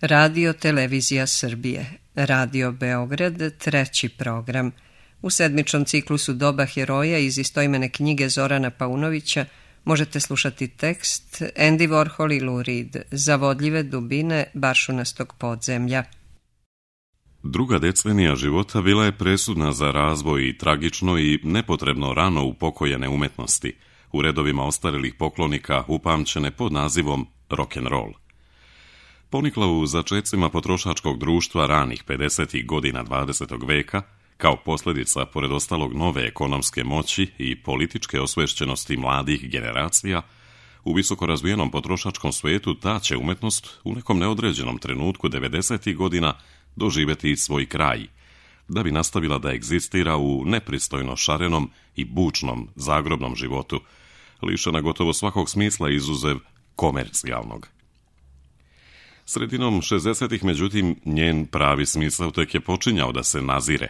Radio Televizija Srbije, Radio Beograd, treći program. U sedmičnom ciklusu Doba heroja iz istoimene knjige Zorana Paunovića možete slušati tekst Andy Warhol i Lou Reed, Zavodljive dubine baršunastog podzemlja. Druga decenija života bila je presudna za razvoj i tragično i nepotrebno rano upokojene umetnosti, u redovima ostarelih poklonika upamćene pod nazivom rock'n'roll. Ponikla u začecima potrošačkog društva ranih 50. godina 20. veka, kao posljedica, pored ostalog, nove ekonomske moći i političke osvešćenosti mladih generacija, u visoko razvijenom potrošačkom svijetu ta će umetnost u nekom neodređenom trenutku 90. godina doživjeti svoj kraj, da bi nastavila da egzistira u nepristojno šarenom i bučnom zagrobnom životu, lišena gotovo svakog smisla izuzev komercijalnog. Sredinom 60-ih, međutim, njen pravi smisao tek je počinjao da se nazire.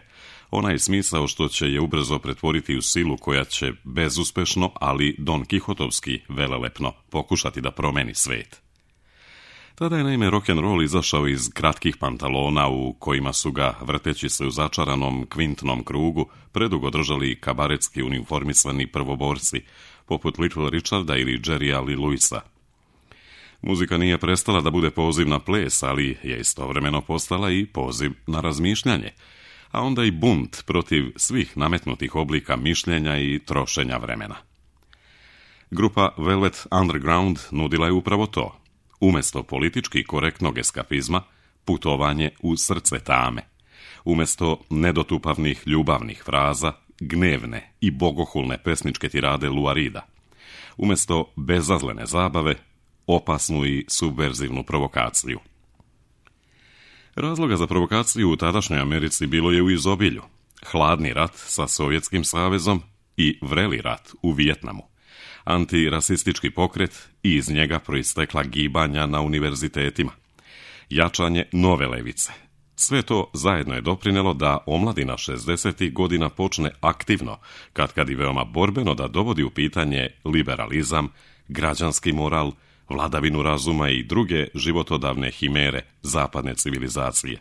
Onaj smisao što će je ubrzo pretvoriti u silu koja će bezuspešno, ali Don Kihotovski velelepno pokušati da promeni svet. Tada je naime rock'n'roll izašao iz kratkih pantalona u kojima su ga, vrteći se u začaranom kvintnom krugu, predugo držali kabaretski uniformisani prvoborci, poput Little Richarda ili Jerrya Lee Lewisa. Muzika nije prestala da bude poziv na ples, ali je istovremeno postala i poziv na razmišljanje, a onda i bunt protiv svih nametnutih oblika mišljenja i trošenja vremena. Grupa Velvet Underground nudila je upravo to. Umjesto politički korektnog eskapizma, putovanje u srce tame. Umjesto nedotupavnih ljubavnih fraza, gnevne i bogohulne pesničke tirade Loua Reeda. Umjesto bezazlene zabave, opasnu i subverzivnu provokaciju. Razloga za provokaciju u tadašnjoj Americi bilo je u izobilju. Hladni rat sa Sovjetskim savezom i vreli rat u Vijetnamu. Antirasistički pokret i iz njega proistekla gibanja na univerzitetima. Jačanje nove levice. Sve to zajedno je doprinelo da omladina 60. godina počne aktivno, katkad i veoma borbeno, da dovodi u pitanje liberalizam, građanski moral, vladavinu razuma i druge životodavne himere zapadne civilizacije.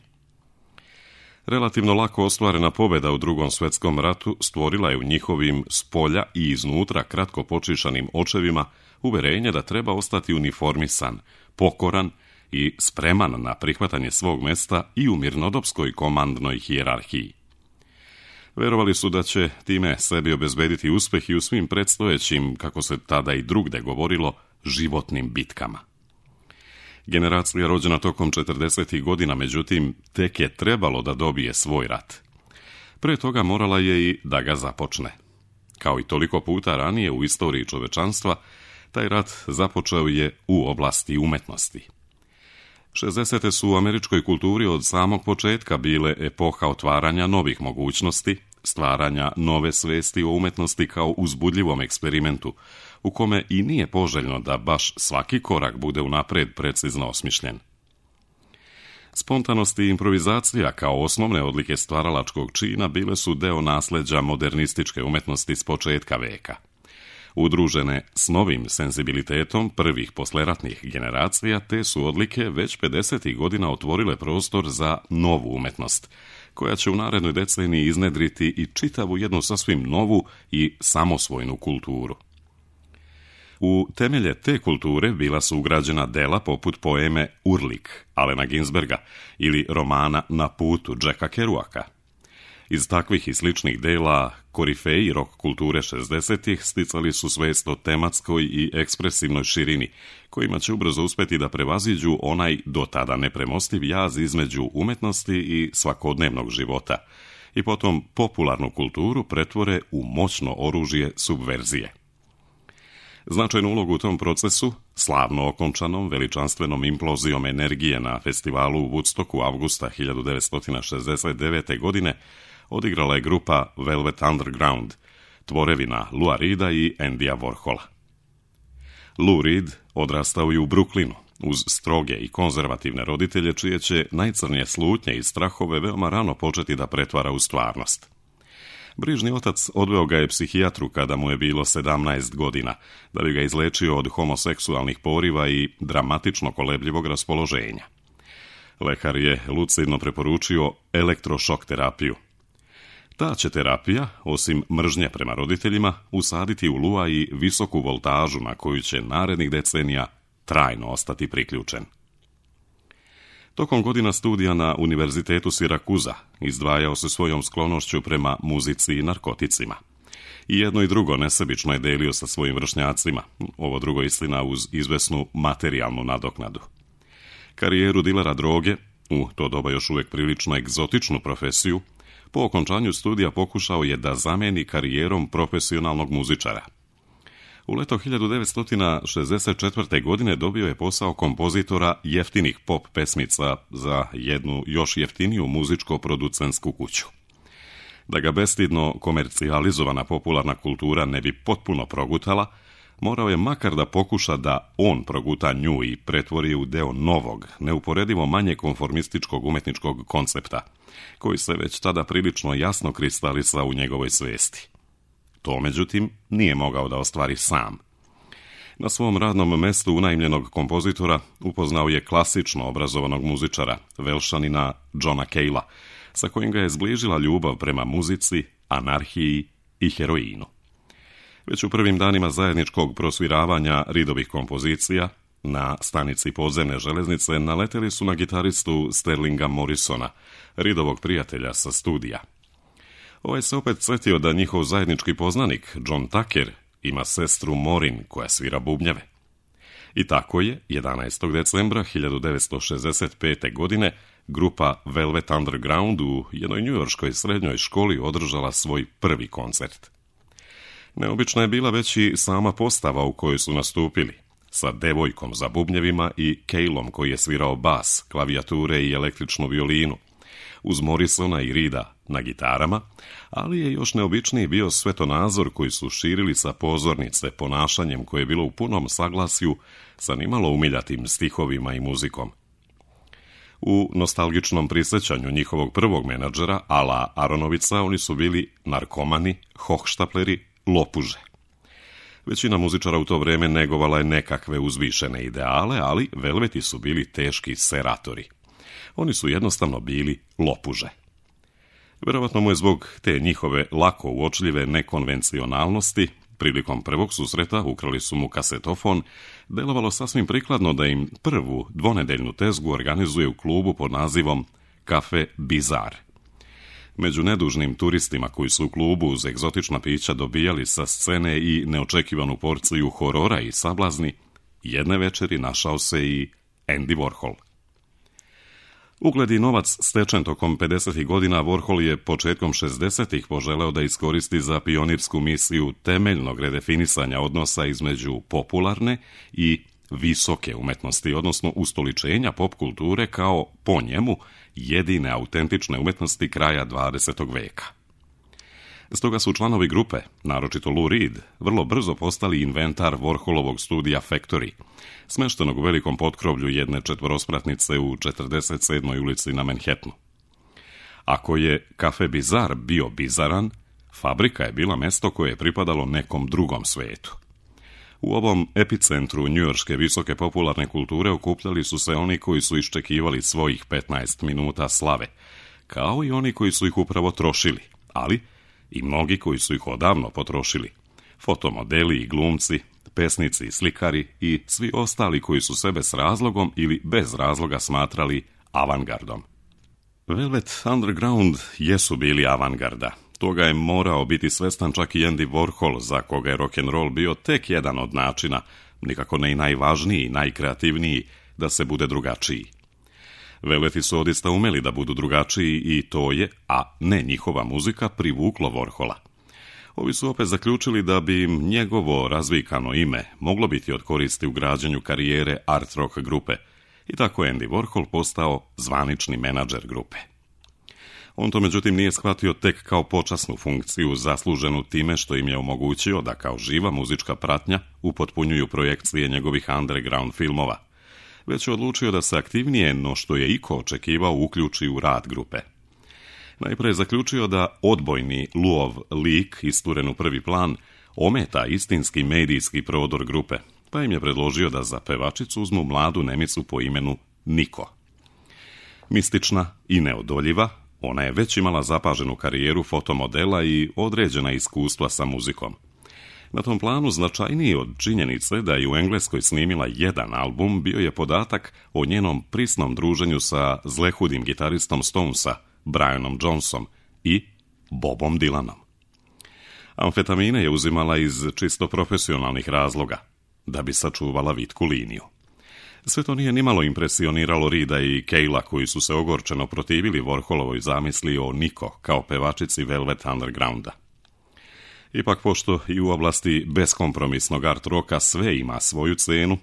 Relativno lako ostvarena pobjeda u Drugom svjetskom ratu stvorila je u njihovim spolja i iznutra kratko počišanim očevima uverenje da treba ostati uniformisan, pokoran i spreman na prihvatanje svog mesta i u mirnodopskoj komandnoj hijerarhiji. Verovali su da će time sebi obezbediti uspeh i u svim predstojećim, kako se tada i drugde govorilo, životnim bitkama. Generacija rođena tokom 40. godina, međutim, tek je trebalo da dobije svoj rat. Pre toga morala je i da ga započne. Kao i toliko puta ranije u istoriji čovečanstva, taj rat započeo je u oblasti umetnosti. 60. su u američkoj kulturi od samog početka bile epoha otvaranja novih mogućnosti, stvaranja nove svesti o umetnosti kao uzbudljivom eksperimentu, u kome i nije poželjno da baš svaki korak bude unapred precizno osmišljen. Spontanost i improvizacija kao osnovne odlike stvaralačkog čina bile su deo nasleđa modernističke umetnosti s početka veka. Udružene s novim senzibilitetom prvih posleratnih generacija, te su odlike već 50. godina otvorile prostor za novu umetnost, koja će u narednoj deceniji iznedriti i čitavu jednu sasvim novu i samosvojnu kulturu. U temelje te kulture bila su ugrađena dela poput poeme Urlik Allena Ginsberga ili romana Na putu Jacka Kerouaka. Iz takvih i sličnih dela korifeji rock kulture 60-ih sticali su svest o tematskoj i ekspresivnoj širini, kojima će ubrzo uspeti da prevaziđu onaj do tada nepremostiv jaz između umetnosti i svakodnevnog života i potom popularnu kulturu pretvore u moćno oružje subverzije. Značajnu ulogu u tom procesu, slavno okončanom veličanstvenom implozijom energije na festivalu u Woodstocku avgusta 1969. godine, odigrala je grupa Velvet Underground, tvorevina Loua Reeda i Andyja Warhola. Lou Reed odrastao je u Brooklynu, uz stroge i konzervativne roditelje čije će najcrnije slutnje i strahove veoma rano početi da pretvara u stvarnost. Brižni otac odveo ga je psihijatru kada mu je bilo 17 godina, da bi ga izlečio od homoseksualnih poriva i dramatično kolebljivog raspoloženja. Lekar je lucidno preporučio elektrošok terapiju. Ta će terapija, osim mržnje prema roditeljima, usaditi u Lua i visoku voltažu na koju će narednih decenija trajno ostati priključen. Tokom godina studija na Univerzitetu Sirakuza izdvajao se svojom sklonošću prema muzici i narkoticima. I jedno i drugo nesebično je delio sa svojim vršnjacima, ovo drugo istina uz izvesnu materijalnu nadoknadu. Karijeru dilera droge, u to doba još uvijek prilično egzotičnu profesiju, po okončanju studija pokušao je da zameni karijerom profesionalnog muzičara. U leto 1964. godine dobio je posao kompozitora jeftinih pop pesmica za jednu još jeftiniju muzičko-producentsku kuću. Da ga bestidno komercijalizovana popularna kultura ne bi potpuno progutala, morao je makar da pokuša da on proguta nju i pretvori u deo novog, neuporedivo manje konformističkog umetničkog koncepta, koji se već tada prilično jasno kristalisa u njegovoj svesti. To, međutim, nije mogao da ostvari sam. Na svom radnom mestu unajmljenog kompozitora upoznao je klasično obrazovanog muzičara, Velšanina Johna Cale'a, sa kojim ga je zbližila ljubav prema muzici, anarhiji i heroinu. Već u prvim danima zajedničkog prosviravanja Reedovih kompozicija, na stanici podzemne železnice naleteli su na gitaristu Sterlinga Morrisona, Reedovog prijatelja sa studija. Ovaj se opet sjetio da njihov zajednički poznanik, John Tucker, ima sestru Maureen koja svira bubnjeve. I tako je, 11. decembra 1965. godine, grupa Velvet Underground u jednoj njujorškoj srednjoj školi održala svoj prvi koncert. Neobična je bila već i sama postava u kojoj su nastupili, sa devojkom za bubnjevima i Caleom koji je svirao bas, klavijature i električnu violinu, uz Morrisona i Reeda na gitarama, ali je još neobičniji bio svetonazor koji su širili sa pozornice ponašanjem koje je bilo u punom saglasju sa nimalo umiljatim stihovima i muzikom. U nostalgičnom prisjećanju njihovog prvog menadžera, Ala Aronovica, oni su bili narkomani, hohštapleri, lopuže. Većina muzičara u to vrijeme negovala je nekakve uzvišene ideale, ali Velveti su bili teški seratori. Oni su jednostavno bili lopuže. Vjerovatno mu je zbog te njihove lako uočljive nekonvencionalnosti, prilikom prvog susreta ukrali su mu kasetofon, delovalo sasvim prikladno da im prvu dvonedeljnu tezgu organizuje u klubu pod nazivom Kafe Bizar. Među nedužnim turistima koji su u klubu uz egzotična pića dobijali sa scene i neočekivanu porciju horora i sablazni, jedne večeri našao se i Andy Warhol. Ugled i novac stečen tokom 50. godina, Warhol je početkom 60. poželeo da iskoristi za pionirsku misiju temeljnog redefinisanja odnosa između popularne i visoke umetnosti, odnosno ustoličenja pop kulture kao, po njemu, jedine autentične umetnosti kraja 20. veka. Stoga su članovi grupe, naročito Lou Reed, vrlo brzo postali inventar Warholovog studija Factory, smeštenog u velikom potkrovlju jedne četvorospratnice u 47. ulici na Manhattanu. Ako je Kafe Bizar bio bizaran, fabrika je bila mesto koje je pripadalo nekom drugom svetu. U ovom epicentru njujorške visoke popularne kulture okupljali su se oni koji su iščekivali svojih 15 minuta slave, kao i oni koji su ih upravo trošili, ali i mnogi koji su ih odavno potrošili. Fotomodeli i glumci, pesnici i slikari i svi ostali koji su sebe s razlogom ili bez razloga smatrali avangardom. Velvet Underground jesu bili avangarda. Toga je morao biti svestan čak i Andy Warhol, za koga je rock'n'roll bio tek jedan od načina, nikako ne i najvažniji i najkreativniji, da se bude drugačiji. Velveti su odista umeli da budu drugačiji i to je, a ne njihova muzika, privuklo Warhola. Ovi su opet zaključili da bi im njegovo razvikano ime moglo biti od koristi u građenju karijere art rock grupe i tako je Andy Warhol postao zvanični menadžer grupe. On to međutim nije shvatio tek kao počasnu funkciju zasluženu time što im je omogućio da kao živa muzička pratnja upotpunjuju projekcije njegovih underground filmova, već je odlučio da se aktivnije no što je iko očekivao uključi u rad grupe. Najprije je zaključio da odbojni Luov lik isturen u prvi plan ometa istinski medijski prodor grupe, pa im je predložio da za pevačicu uzmu mladu Nemicu po imenu Niko. Mistična i neodoljiva, ona je već imala zapaženu karijeru fotomodela i određena iskustva sa muzikom. Na tom planu značajniji od činjenice da je u Engleskoj snimila jedan album bio je podatak o njenom prisnom druženju sa zlehudim gitaristom Stonesa, Brianom Jonesom i Bobom Dylanom. Amfetamine je uzimala iz čisto profesionalnih razloga, da bi sačuvala vitku liniju. Sve to nije nimalo impresioniralo Reeda i Cale'a, koji su se ogorčeno protivili Warholovoj zamisli o Nico kao pevačici Velvet Undergrounda. Ipak, pošto i u oblasti beskompromisnog art roka sve ima svoju cenu,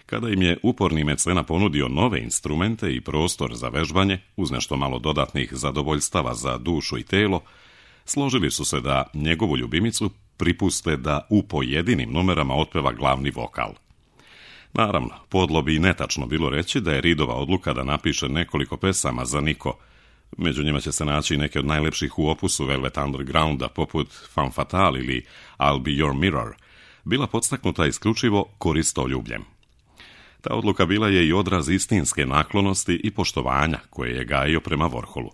kada im je uporni mecena ponudio nove instrumente i prostor za vežbanje, uz nešto malo dodatnih zadovoljstava za dušu i telo, složili su se da njegovu ljubimicu pripuste da u pojedinim numerama otpeva glavni vokal. Naravno, podlo bi netačno bilo reći da je Reedova odluka da napiše nekoliko pesama za Nico, među njima će se naći neke od najlepših u opusu Velvet Undergrounda, poput Femme Fatale ili I'll Be Your Mirror, bila podstaknuta isključivo koristoljubljem. Ta odluka bila je i odraz istinske naklonosti i poštovanja koje je gajio prema Warholu.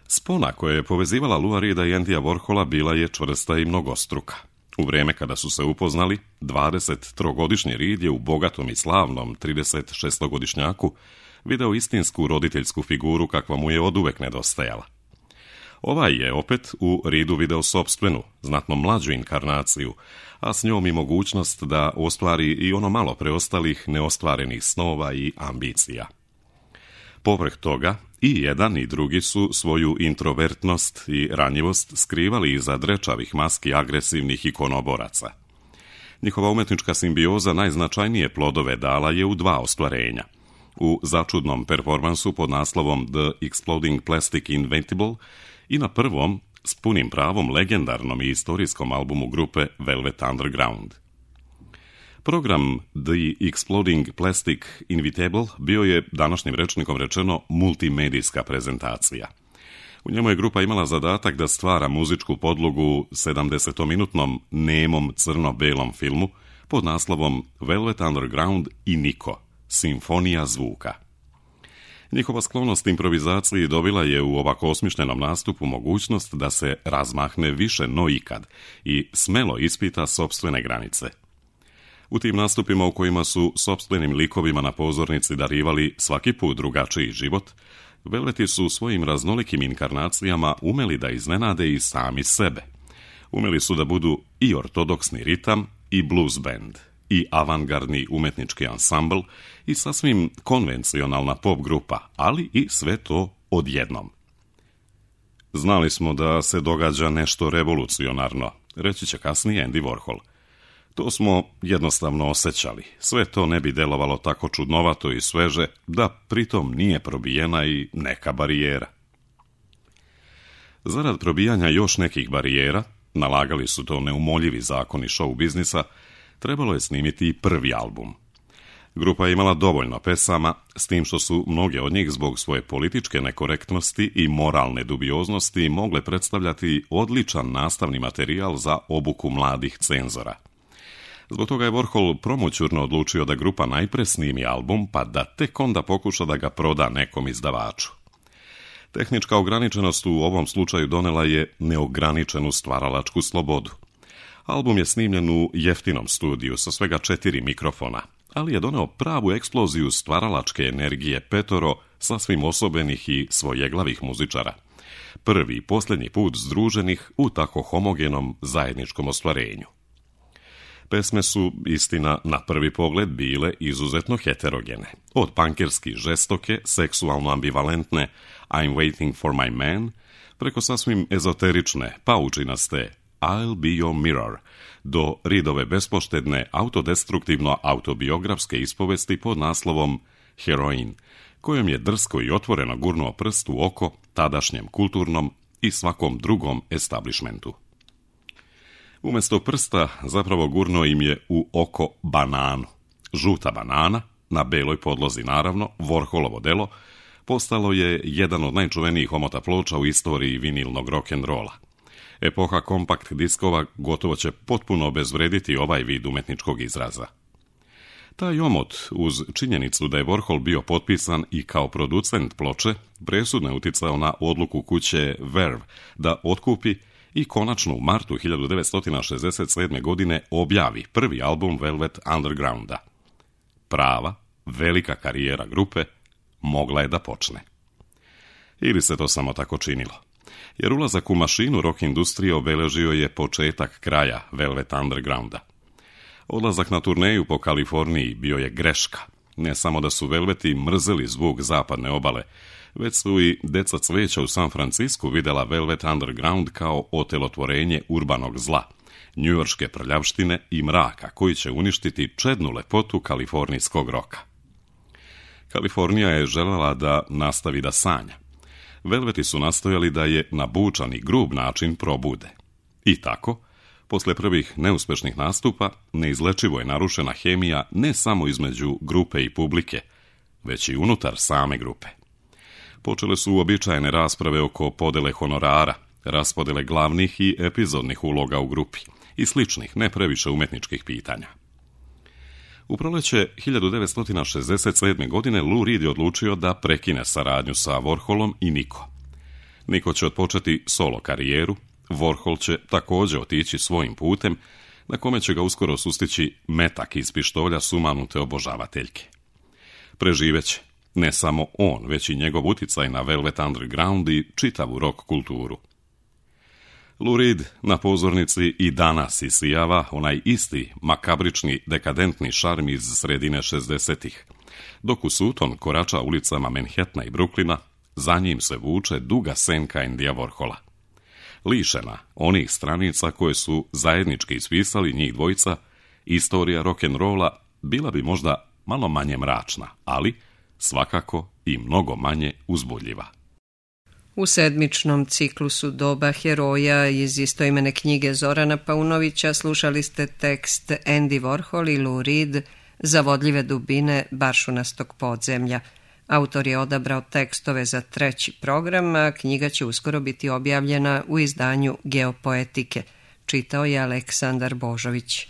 Spona koja je povezivala Lou Reeda i Andyja Warhola bila je čvrsta i mnogostruka. U vrijeme kada su se upoznali, 23-godišnji Reed je u bogatom i slavnom 36-godišnjaku video istinsku roditeljsku figuru kakva mu je oduvek nedostajala. Ovaj je opet u Reedu video sopstvenu, znatno mlađu inkarnaciju, a s njom i mogućnost da ostvari i ono malo preostalih neostvarenih snova i ambicija. Povrh toga, i jedan i drugi su svoju introvertnost i ranjivost skrivali iza drečavih maski agresivnih ikonoboraca. Njihova umetnička simbioza najznačajnije plodove dala je u dva ostvarenja. U začudnom performansu pod naslovom The Exploding Plastic Inevitable i na prvom, s punim pravom legendarnom i istorijskom albumu grupe Velvet Underground. Program The Exploding Plastic Inevitable bio je, današnjim rečnikom rečeno, multimedijska prezentacija. U njemu je grupa imala zadatak da stvara muzičku podlogu 70-minutnom nemom crno-belom filmu pod naslovom Velvet Underground i Nico, simfonija zvuka. Njihova sklonost improvizaciji dobila je u ovako osmišljenom nastupu mogućnost da se razmahne više no ikad i smelo ispita sopstvene granice. U tim nastupima u kojima su sopstvenim likovima na pozornici darivali svaki put drugačiji život, Velveti su svojim raznolikim inkarnacijama umeli da iznenade i sami sebe. Umeli su da budu i ortodoksni ritam, i blues band, i avangardni umetnički ansambl, i sasvim konvencionalna pop grupa, ali i sve to odjednom. Znali smo da se događa nešto revolucionarno, reći će kasnije Andy Warhol. To smo jednostavno osjećali. Sve to ne bi delovalo tako čudnovato i sveže, da pritom nije probijena i neka barijera. Zarad probijanja još nekih barijera, nalagali su to neumoljivi zakoni show biznisa, trebalo je snimiti i prvi album. Grupa je imala dovoljno pesama, s tim što su mnoge od njih zbog svoje političke nekorektnosti i moralne dubioznosti mogle predstavljati odličan nastavni materijal za obuku mladih cenzora. Zbog toga je Warhol promućurno odlučio da grupa najpre snimi album, pa da tek onda pokuša da ga proda nekom izdavaču. Tehnička ograničenost u ovom slučaju donela je neograničenu stvaralačku slobodu. Album je snimljen u jeftinom studiju sa svega 4 mikrofona, ali je doneo pravu eksploziju stvaralačke energije petoro sasvim osobenih i svojeglavih muzičara. Prvi i posljednji put združenih u tako homogenom zajedničkom ostvarenju. Pesme su, istina, na prvi pogled bile izuzetno heterogene. Od pankerski žestoke, seksualno ambivalentne I'm waiting for my man, preko sasvim ezoterične, paučinaste I'll be your mirror, do Reedove bespoštedne, autodestruktivno autobiografske ispovesti pod naslovom Heroin, kojom je drsko i otvoreno gurnuo prst u oko tadašnjem kulturnom i svakom drugom establishmentu. Umjesto prsta zapravo gurnuo im je u oko bananu. Žuta banana, na beloj podlozi naravno, Warholovo delo, postalo je jedan od najčuvenijih omota ploča u istoriji vinilnog rock'n'rolla. Epoha kompakt diskova gotovo će potpuno obezvrediti ovaj vid umetničkog izraza. Taj omot, uz činjenicu da je Warhol bio potpisan i kao producent ploče, presudno je uticao na odluku kuće Verve da otkupi i konačno u martu 1967. godine objavi prvi album Velvet Undergrounda. Prava, velika karijera grupe mogla je da počne. Ili se to samo tako činilo? Jer ulazak u mašinu rock industrije obeležio je početak kraja Velvet Undergrounda. Odlazak na turneju po Kaliforniji bio je greška. Ne samo da su Velveti mrzeli zvuk zapadne obale, već su i deca cveća u San Francisku vidjela Velvet Underground kao otelotvorenje urbanog zla, njujorške prljavštine i mraka koji će uništiti čednu lepotu kalifornijskog roka. Kalifornija je željela da nastavi da sanja. Velveti su nastojali da je na bučan i grub način probude. I tako, posle prvih neuspešnih nastupa, neizlečivo je narušena hemija ne samo između grupe i publike, već i unutar same grupe. Počele su uobičajene rasprave oko podele honorara, raspodele glavnih i epizodnih uloga u grupi i sličnih, ne previše umetničkih pitanja. U proleće 1967. godine Lou Reed je odlučio da prekine saradnju sa Warholom i Nico. Nico će otpočeti solo karijeru, Warhol će također otići svojim putem, na kome će ga uskoro sustići metak iz pištolja sumanute obožavateljke. Preživeće ne samo on, već i njegov uticaj na Velvet Underground i čitavu rock kulturu. Lou Reed na pozornici i danas isijava onaj isti makabrični dekadentni šarm iz sredine 60-ih. Dok u Sutton korača ulicama Manhattana i Brooklyna, za njim se vuče duga senka Andyja Warhola. Lišena onih stranica koje su zajednički ispisali njih dvojica, istorija rock'n'rolla bila bi možda malo manje mračna, ali svakako i mnogo manje uzbudljiva. U sedmičnom ciklusu Doba heroja iz istoimene knjige Zorana Paunovića slušali ste tekst Andy Warhol i Lou Reed Zavodljive dubine Baršunastog podzemlja. Autor je odabrao tekstove za 3. program, a knjiga će uskoro biti objavljena u izdanju Geopoetike. Čitao je Aleksandar Božović.